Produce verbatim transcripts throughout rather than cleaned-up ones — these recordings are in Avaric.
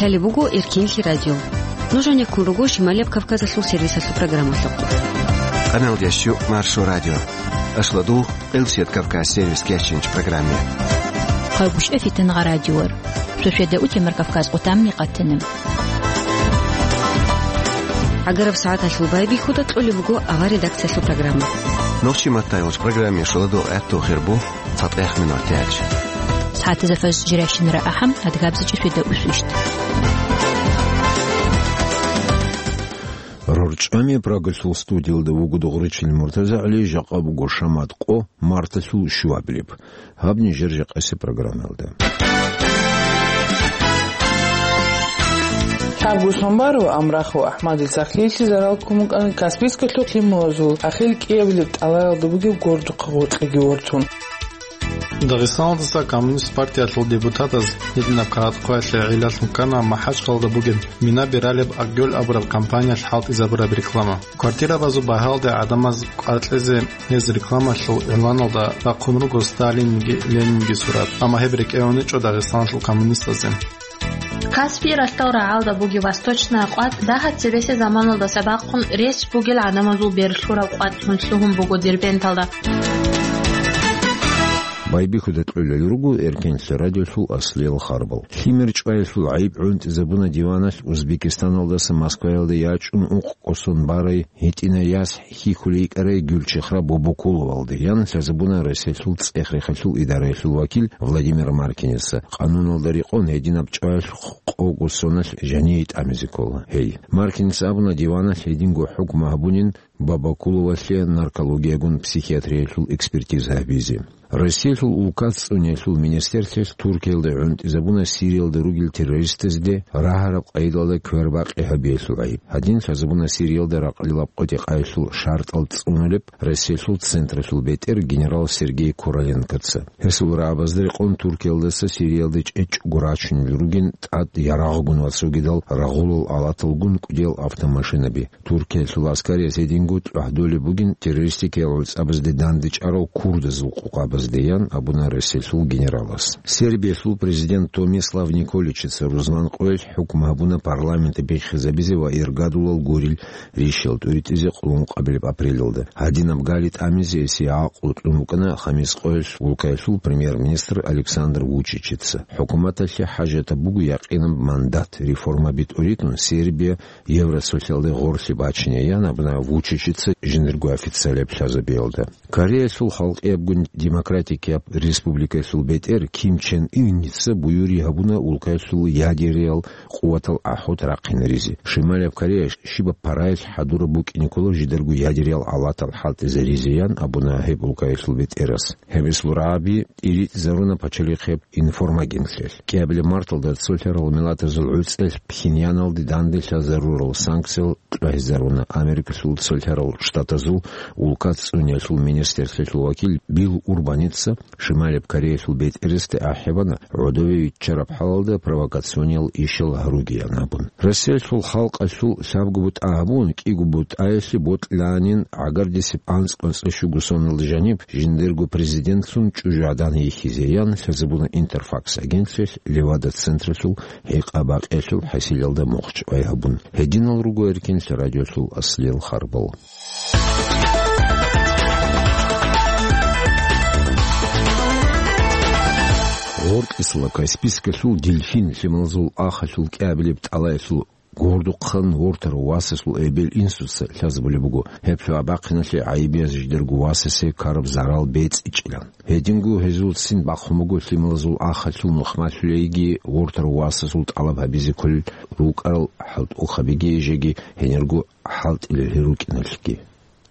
Лъалеб буго Эркинлъи радио. Нуж гьанеккун руго Шималияб Кавказалъул сервисалъул программалъухъ. Къаналдящу Маршо радио. Ашладу Къилсият Кавказ сервис кечинч программе. Хъагушев Фитангъа радиор. Шошеда утемар Кавказ къутамни къатанам. Агараб сагӀаталъул байбихьуда кьолеб буго авар редакциялъул программа. Нохчи маттайолч программе шоладо гӀатту хирбу. ЦатӀехъ минутач. СагӀатазда фажр жирайщинара ахӀам, адгабзичӀи шведа усвищ. РорчӀами Прагалъул студиялда вуго Дугъричил МуртазагӀли, жакъа буго шамат къо, марталъул щуабилеб. Гьаб нижер жакъасе программалда. Лъабго сонбаро Амрахъ ва АхӀмадил сахлъиялъе зарал ккун букӀана Каспийскалъухъ лъималазул ахир кӀиабилеб тӀалаялда бугеб гордухъа гъоркьеги вортун. Дагъистаналдаса Коммунист партиялъул депутатаз гьединаб кагъат хъваялъе гӀиллалъун ккана МахӀачкъалда бугеб Мина Бералеб Акгёл абураб компаниялъ хӀалтӀизабураб реклама. Квартирабазул багьалде гӀадамаз кӀвар кьезе гьез рекламалъул игъланалда бахъун руго Сталинги Ленинги сурат, амма гьеб рекӀелъун гьечӀо Дагъистаналъул коммунистазе. Каспий ралъдал рагӀалда бугеб Восточная къват дагьаб цебесеб заманалдаса бахъун рес бугел гӀадамазул берлъураб къватӀлъун лъугьун буго Дербенталда. Байбихьуда кьолел руго Эркенлъи радиолъул аслиял харбал. Лъимер чӀваялъул гӀайиб гӀунтӀизабуна диваналъ Узбекистаналдаса Москваялда ячӀун укъ кӀосон барай гьитӀинай яс хьихьулей йикӀарай Гюльчехра Бобокуловалде, ян лъазабуна Россиялъул цӀех-рехалъул идараялъул вакил Владимир Маркинеца. Къануналда рекъон гьединаб чӀваялъухъ къого соналъ жаниве тӀамизе ккола гьей. Маркинеца абуна, диваналъ гьединго хӀукму гьабунин Бабакуловалъе наркологиягун психиатриялъул экспертиза гьабизе. Россиялъул улкат цӀуниялъул министрлъиялъ Туркиялда гӀунтӀизабуна Сириялда ругел террористазде рагьараб къайдалда квербакъи гьабиялъул гӀайиб. Гьадин лъазабуна Сириялда ракълилаб къотӀи-къайилъул шартӀал цӀунулеб Россиялъул централъул бетӀер генерал Сергей Короленкоца. Гьесул рагӀабазда рекъон Туркиялдаса Сириялде чӀечӀого рачунел ругин тӀад ярагъгун ва цогидал рагъулал алаталгун кӀудиял автомашинаби. Туркиялъул аскарияс гьединго тӀухӀдолеб бугин террористикиял гӀуцӀабазде дандечӀарал курдазул къокъабазде, ян абуна Россиялъул генералас. Сербиялъул президент Томислав Николичица рузман къоялъ хӀукму гьабуна парламент биххизабизе ва иргадулал гурил ришиял тӀуритӀизе къуллукъабилеб апрелалда. Гьадинаб гали тӀамизе гьесие гӀакълу кьун букӀана Хамис къоялъ улкаялъул премьер-министр Александр Вучичица. ХӀукуматалъе хӀажатаб буго якъинаб мандат, реформаби тӀуритӀун Сербия Евросоциалде гъорлъе бачине, ян абуна Вучичица жиндирго официалияб лъазабиялда. Кореялъул Халкъиябгун Демократикияб Республикаялъул бетӀер Ким Чен Ынница буюрги гьабуна улкаялъул ядериял къуватал ахӀут рахъинаризе. Шималияб Корея щибаб параялъ хӀадураб букӀине ккола жидарго ядериял алатал хӀалтӀизаризе, ян абуна гьеб улкаялъул бетӀерас. Гьеб ислу рагӀаби тӀиритӀизаруна пачалихъияб информагенталъ. КӀиабилеб марталда цолъарал миллатазул гӀуцӀелъ Пхеньяналде данделъазарурал санкциял кьвагьизаруна. Америкалъул цолъарал штатазул улкат цӀуниялъул министрлъиялъул вакил Билл Урбаница Шималияб Кореялъул бетӀерасде ахӀи бана, гӀодове виччараб хӀалалда провокациониял ишал гьаругеян абун. Россиялъул халкъалъул лъабго бутӀа гьабун, кӀиго бутӀаялъе бокьанин гӀагардисеб анцӀ-анцӀила щуго соналда жаниб жиндирго президентлъун чӀужугӀадан йихьизе, ян лъазабуна Интерфакс агентствоялъ Левада централъул гӀикъа-бакъиялъул хӀасилалда мухъ чӀвай гьабун. Гьединал руго Эркенлъи радиолъул аслиял харбал. Гъоркьисла Каспийскалъул Дельфин лъималазул ахалъул кӀиабилеб тӀалаялъул гордухъан вортарав васасул эбел-инсуца лъазабулеб буго, гьеб лъугьа-бахъиналъе гӀайибияз жидерго васасе ккараб зарал бецӀичӀилан. Гьединго гьезулцин бахъун буго лъималазул ахалъул нухмалъулейги вортарав васасул тӀалаб гьабизе кколел рукӀарал хӀалтӀухъабиги жеги гьенирго хӀалтӀилел рукӀиналъги.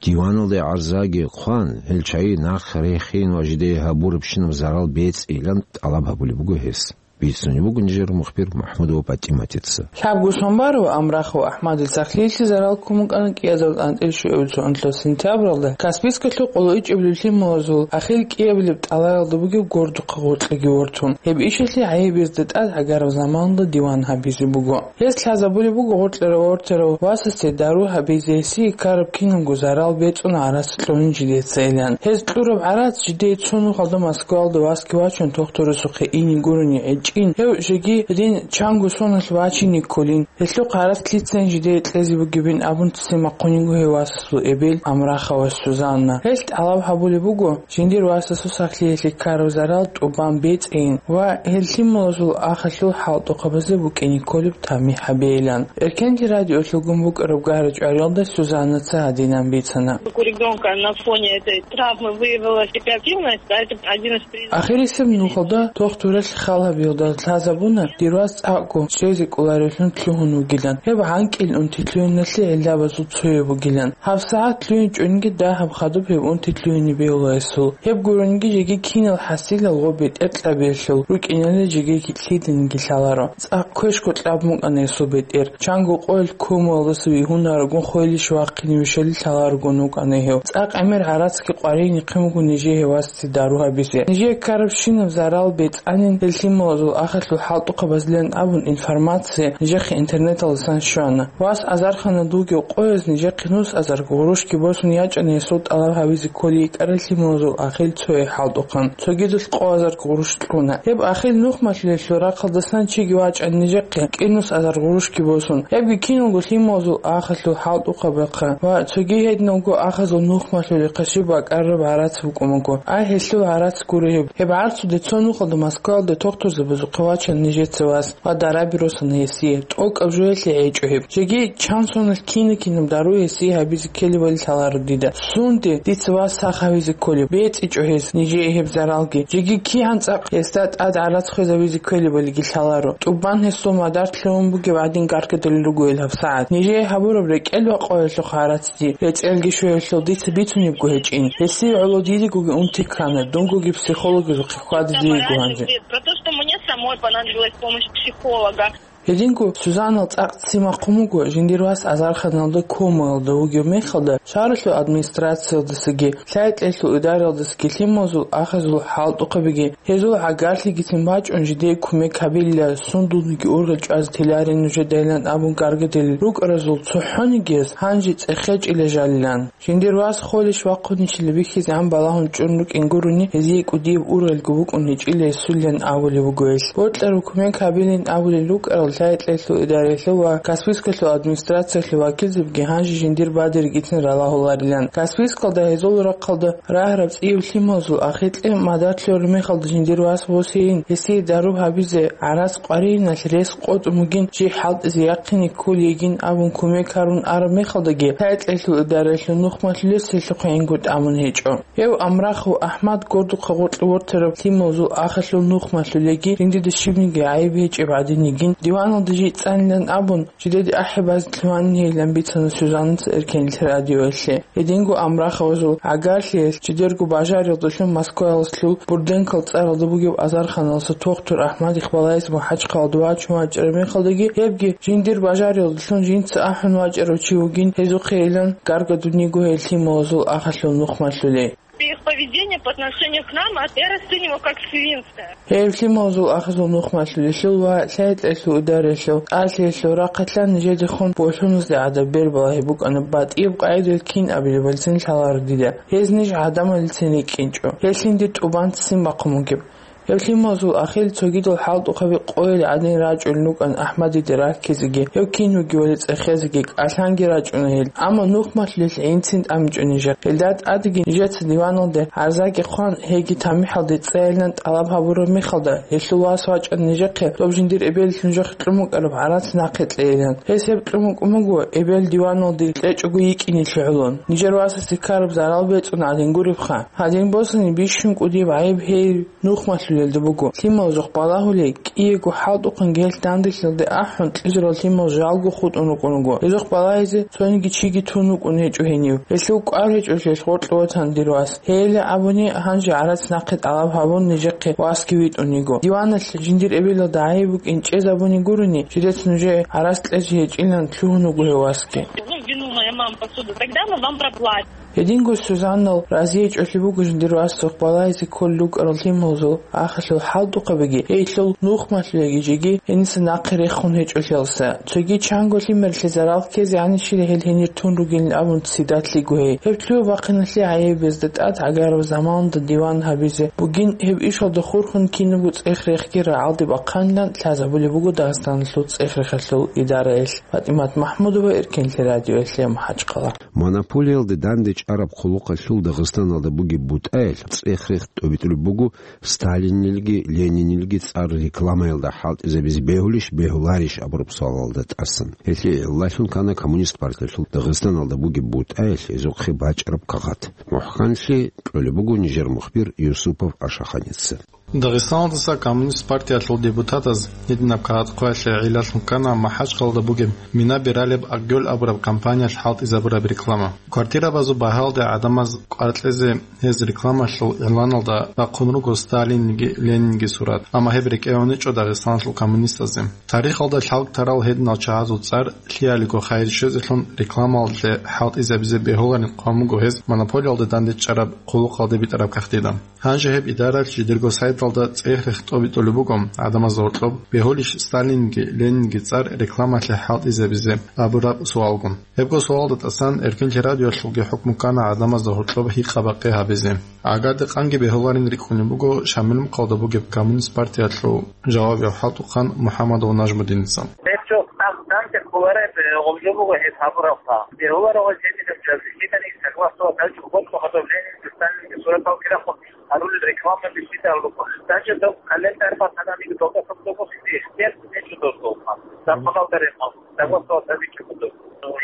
Диваналде гӀарзаги хъван, гьел чагӀи нахъ рехин ва жидее гьабурабщинаб зарал бецӀилан тӀалаб гьабулеб буго гьес. Бицунеб буго нижер мухбир Махмудова ПатӀиматица. Лъабго сонбаро Амрахъ ва АхӀмадил сахлъиялъе зарал ккун букӀана кӀиазарул тӀантӀил щуабилеб цоцӀналъул сентябралда Каспийскалъул къоло ичӀабилеб лъималазул ахир кӀиабилеб тӀалаялда бугеб гордухъа гъоркьеги вортун. Гьеб ишалъе гӀайиб гьезда тӀад гӀагараб заманалда диван гьабизе буго. Гьес лъазабулеб буго гъоркьарав вортарав васасде дару гьабизе гьесие ккараб кинабго зарал бецӀун гӀарац кьунин жидеца илан. Гьез кьураб гӀарац жидее цо нухалда Москвалда васги вачун дохтурасухъе ине гурони гӀе-, чӀин, гьев жеги гьедин чанго соналъ вачине кколин. Гьелъухъ гьарац лъицайин жидее кьезе бугебин абун ццин бахъун йиго гьев васасул эбел Амрахава Сузанна. Гьелъ тӀалаб гьабулеб буго, жиндир васасул сахлъиялъе ккараб зарал тӀубан бецӀейин ва гьел лъималазул ахалъул хӀалтӀухъабазе букӀине кколеб тамихӀ гьабейилан. Эркенлъи радиолъулгун букӀараб гьарачӀвариялда Сузаннаца гьадинан бицана. У ребёнка на фоне этой травмы выявилась гиперактивность, да, это один из признаков. Ахирисеб нухалда тохтуралъ хал гьабиялда лъазабуна, дир вас цӀакъго чӀезе кӀоларевлъун лъугьун вугилан. Гьеб гӀанкӀил унти лъугьиналъе гӀиллабазул цояб бугилан. ГьабсагӀат лъугьинчӀониги дагьаб хадуб гьеб унти лъугьине бегьула гьесул. Гьеб гурониги жеги кинал хӀасилал ва бетӀер кьабиялъул рукӀиналда жеги лъиданиги лъаларо. ЦӀакъ квешго кьабун вукӀана гьесул бетӀер. Чанго къоялъ комаялдаса вигьунарогун, хвелищ вахъине вишали лъаларогун вукӀана гьев. ЦӀакъ гӀемер гӀарацги къваригӀинехъин буго нижее гьев васасе дару гьабизе. Нижее ккарабщинаб зарал бецӀанин гьел лъималазул ахалъул хӀалтӀухъабазилан абун информация нижехъе интернеталдасан щвана. Вас азарханад вугев къояз нижехъе нус азар гъурущги босун ячӀана гьесул тӀалаб гьабизе кколей йикӀарай лъималазул ахил цое хӀалтӀухъан. Цогидалъ къо азар гъурущ кьуна. Гьеб ахил нухмалъулелъул рахъалдасан чиги вачӀана нижехъе кӀинус азар гъурущги босун. Гьебги киналго лъималазул ахалъул хӀалтӀухъабахъа ва цоги гьединалго ахазул нухмалъулехъа щиб бакӀараб гӀарац букӀун буго. Ай, гьелъул гӀарац гуро гьеб. Гьеб гӀарцуде цо нухалда Москваялда тохтурзабазухъе вачана нижеца вас ва дараби росана гьесие. ТӀокӀаб жоялъе гӀечӀо гьеб. Жеги чан соналъ кина-кинаб дару гьесие гьабизе ккелебали лъаларо дида. Сунде дица вас сах гьавизе кколеб? БецӀичӀо гьес нижее гьеб заралги. Жеги кигӀан цӀакъ гьесда тӀад гӀарац хвезавизе ккелебалиги лъаларо. ТӀубан гьесул мадар лъугьун бугеб гӀадин гаргадулел руго гьел гьабсагӀат. Нижее гьабураб рекӀел ва къоялъухъ гӀарацги, рецӀелги щвеялъул дица бицунебго гьечӀин. Гьесие гӀоло дидегоги унти ккана, дунгоги психологазухъе хьвадизе йиго гьанже. Про то, что мне самой понадобилась помощь психолога. Гьединго Сузанал цӀакъ ццин бахъун буго, жиндир вас азарханалда комаялда вугев мехалда, шагьаралъул администрациялдасаги, лъай-кьелъул идараялдасаги лъималазул ахазул хӀалтӀухъабиги, гьезул гӀагарлъигицин бачӀун жидее кумек гьабилила, сундулниги ургъел чӀвазе теларин нужедайилан абун гаргадулел рукӀаразул цохӀонигияс гьанже цӀехечӀила жалилан. Жиндир вас холищ вахъунищила бихьизегӀан балагьун чӀун рукӀин гурони, гьезие кӀудияб ургъелго букӀун гьечӀила гьесулилан абулеб буго гьелъ. Бокьараб кумек гьабилин абулел рукӀарал лъай-кьелъул идараялъул ва Каспийскалъул администрациялъул вакилзабиги гьанже жиндир бадиргицин ралагьуларилан. Каспийскалда гьезул рахъалда рагьараб цӀияб лъималазул ахикье мадар лъураб мехалда жиндир вас восейин, гьесие дару гьабизе гӀарац къваригӀиналъ рес къотӀун бугин, жий хӀалтӀизе яхъине кколей йигин абун кумек гьарун араб мехалдаги, лъай-кьелъул идараялъул нухмалъулес гьелъухъе гӀингутӀ абун гьечӀо. Гьев Амрахов АхӀмад гордухъа гъоркье вортараб лъималазул ахалъул нухмалъулеги, жиндида щибниги гӀайиб гьечӀеб гӀадин йигин, диваналда жий цӀанилан абун, жидеде ахӀи базе лъугьанин гьейилан бицана Сузаннаца Эркенлъи радиоялъе. Гьединго Амраховазул гӀагарлъиялъ жидерго бажариялдалъун Москваялъул Бурденкал цӀаралда бугеб азарханалдаса тохтур АхӀмад Ихбалаевица МахӀачхъалаялда вачун вачӀараб мехалдаги, гьебги жиндир бажариялдалъун жинца ахӀун вачӀарав чи вугин, гьезухъейилан гаргадун йиго гьел лъималазул ахалъул нухмалъулей. Их поведение по отношению к нам, а я расцениваю как свинство. Гьеб лъималазул ахазул нухмалъулелъул ва лъай-кьелъул идараялъул, кӀалъиялъул рахъалъан нижедехун болъуназде гӀадаб бер балагьи букӀана батӀияб къагӀидаялъ кин абилебалцин лъаларо дида. Гьез ниж гӀадамалицин рикӀкӀинчӀо. Гьелъ жиндир тӀубан ццин бахъун бугеб. Гьеб лъималазул ахил цогидал хӀалтӀухъаби къойил гӀадин рачӀун рукӀан АхӀмадиде раккизеги, гьев кин вугевали цӀехезеги кӀалъанги рачӀуна гьел. Амма нухмалъулелъ гӀинцин тӀамичӀо нижехъ. Гьелда тӀадеги нижеца диваналде гӀарзаги хъван, гьеги тамихӀалде цӀайилан тӀалаб гьабураб мехалда, гьелъул вас вачӀана нижехъе доб жиндир эбелалъ нужехъе кьун букӀараб гӀарац нахъе кьейилан. Гьес гьеб кьун букӀун буго, эбел диваналде кьечӀого йикӀине лъугӀулун. Нижер васасе ккараб зарал бецӀун гӀадин гуребха. Гьадин босани бищун кӀудияб гӀайиб гьей нухмалъулелда буго. Лъималазухъ балагьулей, кӀиего хӀалтӀухъанги гьелъ данделъиялде ахӀун, кьижарал лъимал жалго хутӀун рукӀун руго. Гьезухъ балагьизе цониги чиги тун вукӀун гьечӀо гьенив. Гьелъул кӀвар гьечӀолъиялъ гъоркье ватана дир вас. Гьейилан абуни, гьанже гӀарац нахъе тӀалаб гьабун, нижехъе васги витӀун йиго. Диваналъ жиндир эбелалда гӀайиб букӀин чӀезабуни гурони, жидеца нужее гӀарац кьезе гьечӀилан лъугьун вуго гьев васги. Ну, вину моя мама посуду. Тогда мы вам проплатим. Гьединго Сузаннал разие чӀолъи буго жиндир васухъ балайзе кколел рукӀарал лъималазул ахирал хӀалтӀухъабиги, гьелъул нухмалъулеги жеги гьениса нахъе рехун гьечӀолъиялса. Цоги чанго лъимерлъи зарал ккезе гьанищила гьел гьенир тун ругилин абун цидалъиго гьей. Гьеб лъугьа-бахъиналъе гӀайиб безда тӀад гӀагараб заманалда диван гьабизе бугин, гьеб ишалда хурхун кинабго цӀех-рехги рагӀалде бахъанилан лъазабулеб буго Дагъистаналъул цӀех-рехалъул идараялъ. ПатӀимат МахӀмудова, Эркенлъи радиоялъе, МахӀачхъала. Монополиялде данде чӀараб хъулухъалъул Дагъистаналда бугеб бутӀаялъ цӀех-рех тӀобитӀулеб буго Сталинилги Ленинилги цӀар рекламаялда хӀалтӀизабизе бегьулищ, бегьуларищ абураб суалалда тӀасан. Гьелъие гӀиллалъун ккана Коммунист партиялъул Дагъистаналда бугеб бутӀаялъ гьезухъе бачӀараб кагъат. МухӀканлъи кьолеб буго нижер мухбир Юсупов Ашаханица. Дагъистаналдаса Коммунист партиялъул депутатаз гьединаб кагъат хъваялъе гӀиллалъун ккана МахӀачхъалда бугеб Мина Бералеб Акгёл абураб компаниялъ хӀалтӀизабураб реклама. Квартирабазул багьалде гӀадамаз кӀвар кьезе гьез рекламалъул игъланалда бахъун руго Сталинги Ленинги сурат, амма гьеб рекӀее гьечӀо Дагъистаналъул коммунистазде. Тарихалда лъалкӀ-тарал гьединал чагӀазул цӀар лъиялиго хайир щвезелъун рекламалде хӀалтӀизабизе бегьуларин хъван буго гьез монополиялде данде чӀараб хъулухъалде битӀараб кагътида. Гьанже гьеб идаралъ жидерго сайталда цӀех-рех тӀобитӀулеб буго гӀадамазда гьоркьоб, бегьулищ Сталинги Ленинги цӀар рекламалъе хӀалтӀизабизе абураб суалгун. Гьебго суалда тӀасан Эркенлъи радиоялъулги хӀукму ккана гӀадамазда гьоркьоб гьикъа-бакъи гьабизе. Агар-декъанги бегьуларин рикӀкӀунеб буго Шамилмухъалда бугеб Коммунист партиялъул жавабияв хӀалтӀухъан МухӀаммадов Нажмудиница. Гьеб жо там, там, де кколареб, э, гъоб жо буго гьеб гьабурабха. Бегьуларо гьеб гьебинаб жо, жидерго согласовать гьабичӀого гьадаб Ленинги Сталинги суратал ккарахъун гьарулел рекламаби лъидал руго. Даже доб календарь батананиги доб, доб, доб, ихтияр нечо доб, доб. Доб хадал даремал, доб, доб, доб, доб.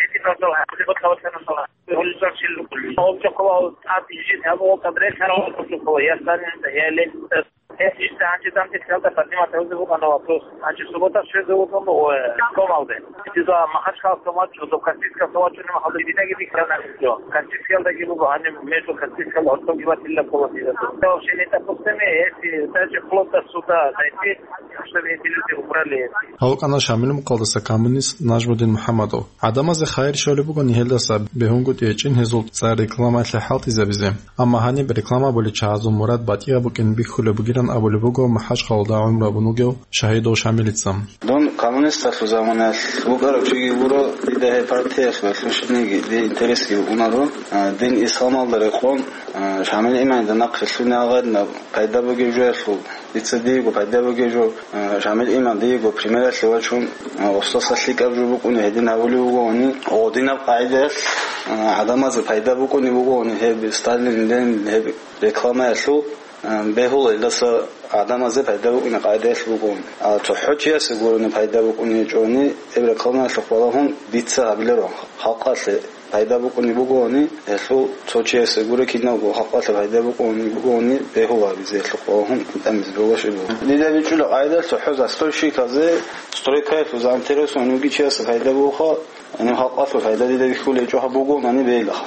Эти доб, доб, хадал батана сала. Гьулисал шил рукӀули. Гьоб чохъола тӀад жин гьаб гьоб тӀад релъарал гьоб чохъола. Я Сталин, я Ленин. Гьес ишта гьанже дам тӀехьалда Патимат гьавзе вукӀана вопрос. Гьанже суббота щвезе вукӀун, ой, Томалде. Дида Махачкалаялъ вачун, до Каспийскалъ вачун, махалда дидаги бихьана жо. Каспийскалдаги буго, гьаниб между Каспийскал гьоркьоги ватилла ккола дида. Вообще не допустимо, если даже вплоть до суда дойти, чтобы эти люди убрали эти. Гьав вукӀана Шамилмухъалдаса коммунист Нажмудин МухӀаммадов. ГӀадамазе хайир щолеб бугони гьелдаса бегьунгутӀи гьечӀин гьезул цӀар рекламалъе хӀалтӀизабизе. Амма гьаниб реклама болел чагӀазул мурад батӀияб букӀин бихьулеб бугилан абулеб буго МахӀачхъалда гӀумру гьабун вугев Шагьидов Шамилица. Дун коммунисталъул заманаялъ вукӀарав чиги гуро, дида гьеб партиялъ ва лъушниги дир интересги унаро, а, дин исламалда рекъон, а, Шамил иманида нахъе лъугьине гьагъадинаб пайда бугеб жоялъул. Дица диего пайда бугеб жо, а, Шамил имам диего примералъе вачун, а, устаса лъикӀаб жо букӀуни гьедин гьавулев вугони, гъодинаб къагӀидаялъ, а, гӀадамазе пайда букӀуни бугони гьеб Сталин, Ленин гьеб рекламаялъул, а, бегьула илдаса гӀадамазе пайда букӀуни къагӀидаялъ бугони. А цохӀо чиясе гурони пайда букӀуни гьечӀони, гьеб рекламаялъухъ балагьун дица гьабиларо халкъалъе. Пайда букӀунеб бугони, гьелъул цо чиясе гуро киналго халкъалъе пайда букӀунеб бугони, бегьула гьабизе гьелъухъ балагьун тӀамизе бегьуларищ буго. Дида бичӀчӀула къагӀида цохӀо застройщиказе, стройкаялъул заинтересованный вугев чиясе пайда бугоха, гьанив халкъалъул пайда дида бихьулеб гьечӀо гьаб бугонани бегьилаха.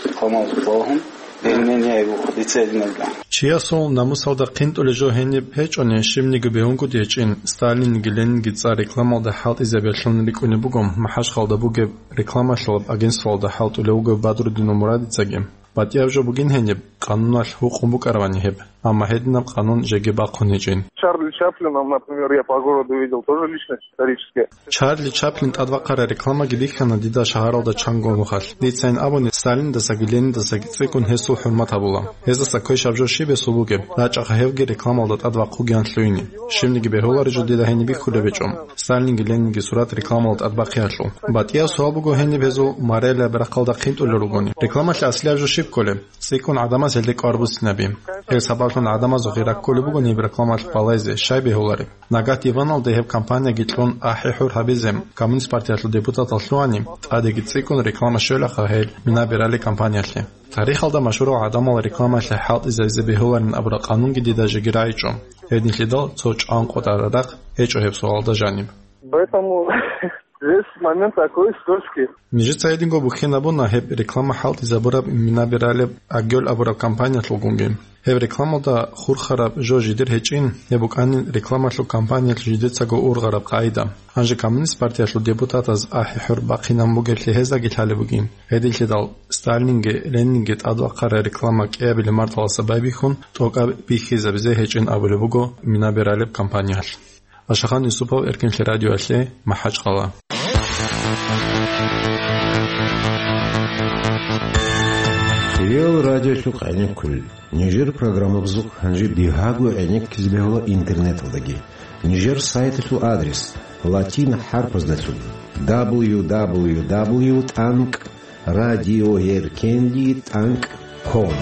Рекламалъухъ балагьун бегьулеб гьечӀо гьаб буго, дица гьединабила. Чиясул намусалда хъинтӀулеб жо гьениб гьечӀони, щибниги бегьунгутӀи гьечӀин, Сталинги Ленинги цӀар рекламалда хӀалтӀизабиялъун рикӀкӀунеб буго МахӀачхъалда бугеб рекламалъулаб агентствоялда хӀалтӀулев вугев Бадрудинов Мурадицаги. БатӀияб жо бугин гьениб, къануналъ гьукъун букӀаравани гьеб, амма гьединаб къанун жеги бахъун гьечӀин. Чарли Чаплином, например, я по городу видел, тоже личность историческая. Чарли Чаплин тӀадбахъараб рекламаги бихьана дида шагьаралда чанго нухалъ. Дицайин абуни, Сталиндасаги Ленидасаги цӀикӀкӀун гьесул хӀурмат гьабула. Гьезда ккойищ гьаб жо щиб гьесул бугеб, рачӀаха гьевги рекламалда тӀад вахъугеян лъугьине. Щибниги бегьуларищ жо дида гьениб бихьулеб гьечӀо. Сталинги Ленинги сурат рекламалда тӀад бахъиялъул. БатӀияб суал буго гьениб гьезул моралияб рахъалда хъинтӀулел ругони. Рекламалъе аслияб жо щиб кколеб? ЦӀикӀкӀун гӀадамаз гьелде кӀвар буссинаби. Гьеб сабаблъун гӀадамазухъе раккулеб бугони гьеб рекламалъухъ балайзе, щай бегьулареб? Нагагь диваналде гьеб кампанияги кьун ахӀи-хӀур гьабизе, Коммунист партиялъул депутатал лъугьани, тӀадеги цӀикӀкӀун рекламалъ щвелаха гьел Мина Берали кампаниялъе. Тарихалда машгьурал гӀадамал рекламалъе хӀалтӀизабизе бегьуларин абураб къанунги дида жеги рагӀичӀо. Гьединлъидал цо чӀван къотӀараб рахъ гьечӀо гьеб суалда жаниб. Поэтому здесь момент такой скользкий. Нижеца гьединго бухьен абуна гьеб реклама хӀалтӀизабураб Мина Бералеб Агёл абураб компаниялъулгунги. Гьеб рекламалда хурхараб жо жидер гьечӀин, гьеб букӀанин рекламалъул кампаниялъул жидецаго ургъараб къагӀида. Гьанже Коммунист партиялъул депутатаз ахӀи-хӀур бахъинан бугеблъи гьездаги лъалеб бугин. Гьединлъидал Сталинги Ленинги тӀадвахъарай реклама кӀиабилеб марталдаса байбихьун, тӀокӀаб бихьизабизе гьечӀин абулеб буго мина бералеб кампаниялъ. Ашахан Юсупов, Эркенлъи радиоялъе, МахӀачкъала. Реал радиолъухъ гӀенеккулел. Нижер программабазухъ гьанже бигьаго гӀенеккизе бегьула интернеталдаги. Нижер сайталъул адрес латин хӀарпаздалъун: дабл ю дабл ю дабл ю тӀанкӀ радиоэркенлъи тӀанкӀ ком.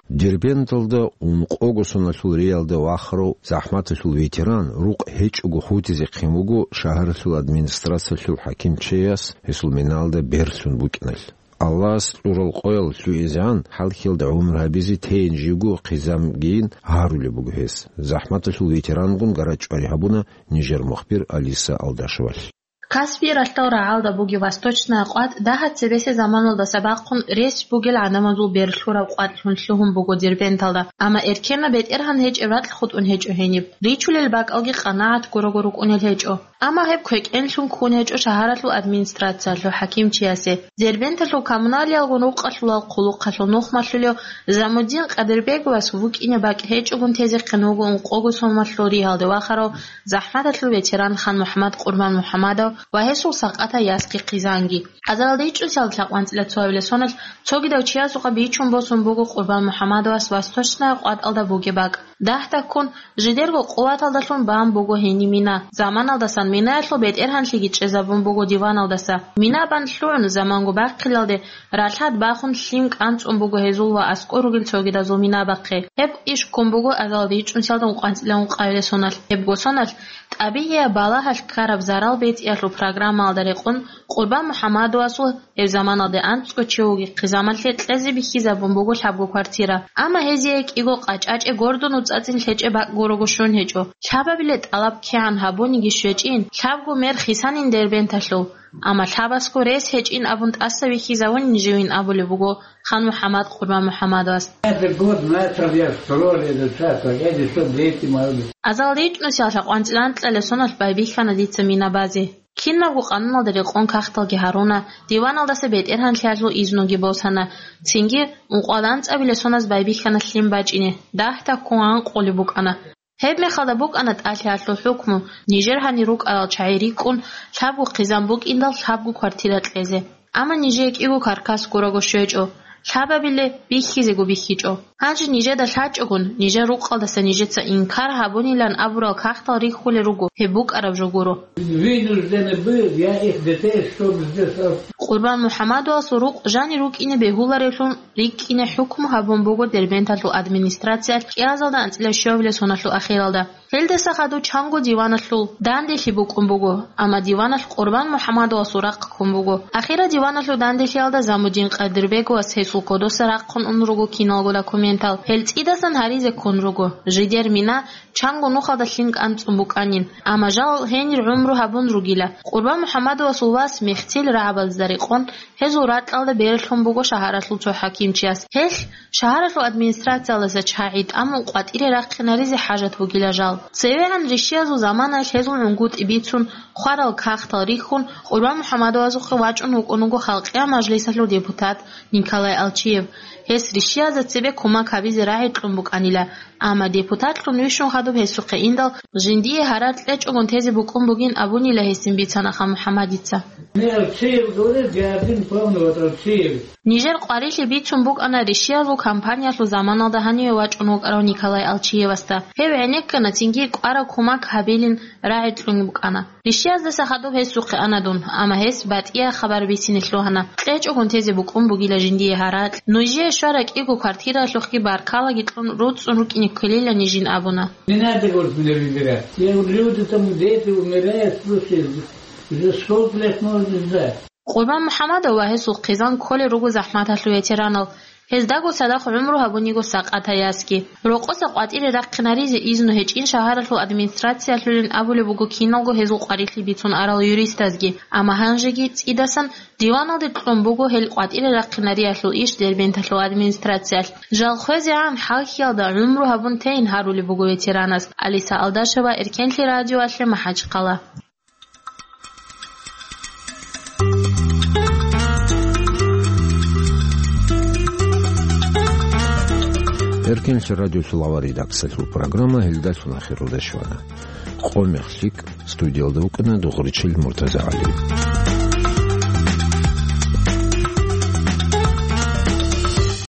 Дербенталда ункъого соналъул риялда вахарав, захӀматалъул ветеран, рукъ гьечӀого хутӀизехъин вуго шагьаралъул администрациялъул хӀакимчияс гьесул миналда берлъун букӀиналъ. Аллагьас кьурал къоял лъугӀизегӀан, хӀалхьиялда гӀумру гьабизе тейин живго хъизамгийин гьарулеб буго гьес. ЗахӀматалъул ветерангун гарачӀвари гьабуна нижер мухбир Алиса Алдашевалъ. Каспий ралъдал рагӀалда бугеб Восточная къватӀ дагьаб цебесеб заманалдаса бахъун рес бугел гӀадамазул берлъураб къватӀлъун лъугьун буго Дербенталда, амма эркенаб бетӀергьан гьечӀеб ракь хутӀун гьечӀо гьениб. Ричулел бакӀалги къанагӀат гурого рукӀунел гьечӀо. Амма гьеб квекӀенлъун ккун гьечӀо шагьаралъул администрациялъул хӀакимчиясе. Дербенталъул коммуналиялгун рукъалъулал хъулухъалъул нухмалъулев Замудин Къадирбеговас вукӀине бакӀ гьечӀогун тезехъин вуго ункъого соналъул риялда вахарав, захӀматалъул ветеран Хан-МухӀаммад Къурбан-МухӀаммадов ва гьесул сакъатай ясги хъизанги. Азаралда ичӀнусиялда лъабкъоялда цоабилеб соналъ цогидав чиясухъа бичун босун буго Къурбан-МухӀаммадовас Восточная къватӀалда бугеб бакӀ. Дагьдаккун, жидерго къуваталдалъун бан буго гьениб мина. Заманалдасан минаялъул бетӀергьанлъиги чӀезабун буго диваналдаса. Мина бан лъугӀун заманго бахъиналде ралъад бахун лъим кӀанцӀун буго гьезул ва аскӀор ругел цогидазул мина бахъе. Гьеб иш ккун буго азаралда ичӀнусиялда ункъоялда ункъабилеб соналъ. Гьебго соналъ тӀабигӀияб балагьалъ ккараб зарал бетӀиялъул программаялда рекъон Къурбан МухӀаммадовасул гьеб заманалде анцӀго чи вугеб хъизамалъе кьезе бихьизабун буго лъабго квартира. Амма гьезие кӀиго къачӀачӀе гордун уцӀцӀацӀин лъечӀеб бакӀ гурого щун гьечӀо. Лъабабилеб тӀалаб кигӀан гьабуниги щвечӀин, лъабго мер хисанин Дербенталъул. Амма лъабасго рес гьечӀин абун тӀаса вихьизавунин живин абулеб буго Хан-МухӀаммад Къурбан-МухӀаммадовас. Этот год начал я строили этот участок, эти что дети мои. Азаралда ичӀнусиялда лъабкъоялда анкьабилеб соналъ байбихьана дица мина базе. Кинабго къануналда рекъон кагъталги гьаруна, диваналдаса бетӀергьанлъиялъул изнуги босана, цинги ункъоялда анцӀабилеб соназ байбихьана лъим бачӀине, дагьдаккун гъанкъулеб букӀана. Гьеб мехалда букӀана тӀалъиялъул хӀукму, нижер гьанир рукӀарал чагӀи рикӀкӀун, лъабго хъизан букӀиндал лъабго квартира кьезе. Амма нижее кӀиго каркас гурого щвечӀо, лъабабилеб бихьизего бихьичӀо. Гьанже нижеда лъачӀогун, нижер рукъалдаса нижеца инкар гьабунилан абурал кагътал рихьулел руго, гьеб букӀараб жо гуро. Вынуждены был я их детей, чтоб здесь ос- Къурбан МухӀаммадовасул рукъ жанир рукӀине бегьуларевлъун рикӀкӀине хӀукму гьабун буго Дербенталъул администрациялъ кӀиазалда анцӀила щуабилеб соналъул ахиралда. Гьелдаса хадув чанго диваналъул данделъи букӀун буго, амма диваналъ Къурбан МухӀаммадовасул рахъ ккун буго. Ахирал диваналъул данделъиялда Замудин Къадирбеговас гьесул кодоса рахъун ун руго киналго документал. Гьел цӀидасан гьаризе ккун руго. Жидер мина чанго нухалда лъим кӀанцӀун букӀанин, амма жал гьенир гӀумру гьабун ругила. Къурбан МухӀаммадовасул вас мехтил рагӀабазда рекъон гьезул ракьалда берлъун буго шагьаралъул цо хӀакимчияс. Гьелъ шагьаралъул администрациялдаса чагӀи тӀамун къватӀире рахъинаризе хӀажат бугила жал. ЦевегӀан рищиязул заманаялъ гьезул гӀунгутӀи бицун, хварал кагътал рихьун, Къурбан МухӀаммадовасухъе вачӀун вукӀун вуго Халкъиял мажлисалъул депутат Николай Алчиев. Гьес рищиязда цебе кумек гьабизе рагӀи кьун букӀанила, амма депутатлъун вищун хадуб гьесухъе индал, жиндие гьаракь кьечӀогун тезе букӀун бугин абунила гьесин бицана Хан-МухӀаммадица. Не, Алчиев говорит, я один помню, вот Алчиев. Нижер къварилъи бицун букӀана рищиязул кампаниялъул заманалда гьаниве вачӀун вукӀарав Николай Алчиевасда. Гьев гӀенеккана, цинги кӀвараб кумек гьабилин рагӀи кьун букӀана. Рищияздаса хадуб гьесухъе ана дун, амма гьес батӀияб хабар бицине лъугьана. КьечӀогун тезе букӀун бугила жиндие гьаракь. Нужее щвараб кӀиго квартиралъухъги баркалаги кьун, руцӀцӀун рукӀине ккелила нижин абуна. Не надо, говорит, меня выбирать. Я говорю, люди там, дети умирают, слушай, уже сколько лет можно ждать? Къурбан МухӀаммадов ва гьесул хъизан кколел руго захӀматалъул ветеранал. Гьездаго цадахъ гӀумру гьабун йиго Сакъатаясги. Рокъоса къватӀире рахъинаризе изну гьечӀин шагьаралъул администрациялъулин абулеб буго киналго гьезул къварилъи бицун арал юристазги, амма гьанжеги цӀидасан диваналде кьун буго гьел къватӀире рахъинариялъул иш Дербенталъул администрациялъ. Жал хвезегӀан хӀалхьиялда гӀумру гьабун тейин гьарулеб буго ветеранас. Алиса Алдашева, Эркенлъи радиоялъе, МахӀачхъала. Эркенлъи радиолъул авар редакциялъул программа гьелдалъун ахиралде щвана. Къо-мех лъикӀ, студиялда вукӀана Дугъричил МуртазагӀали.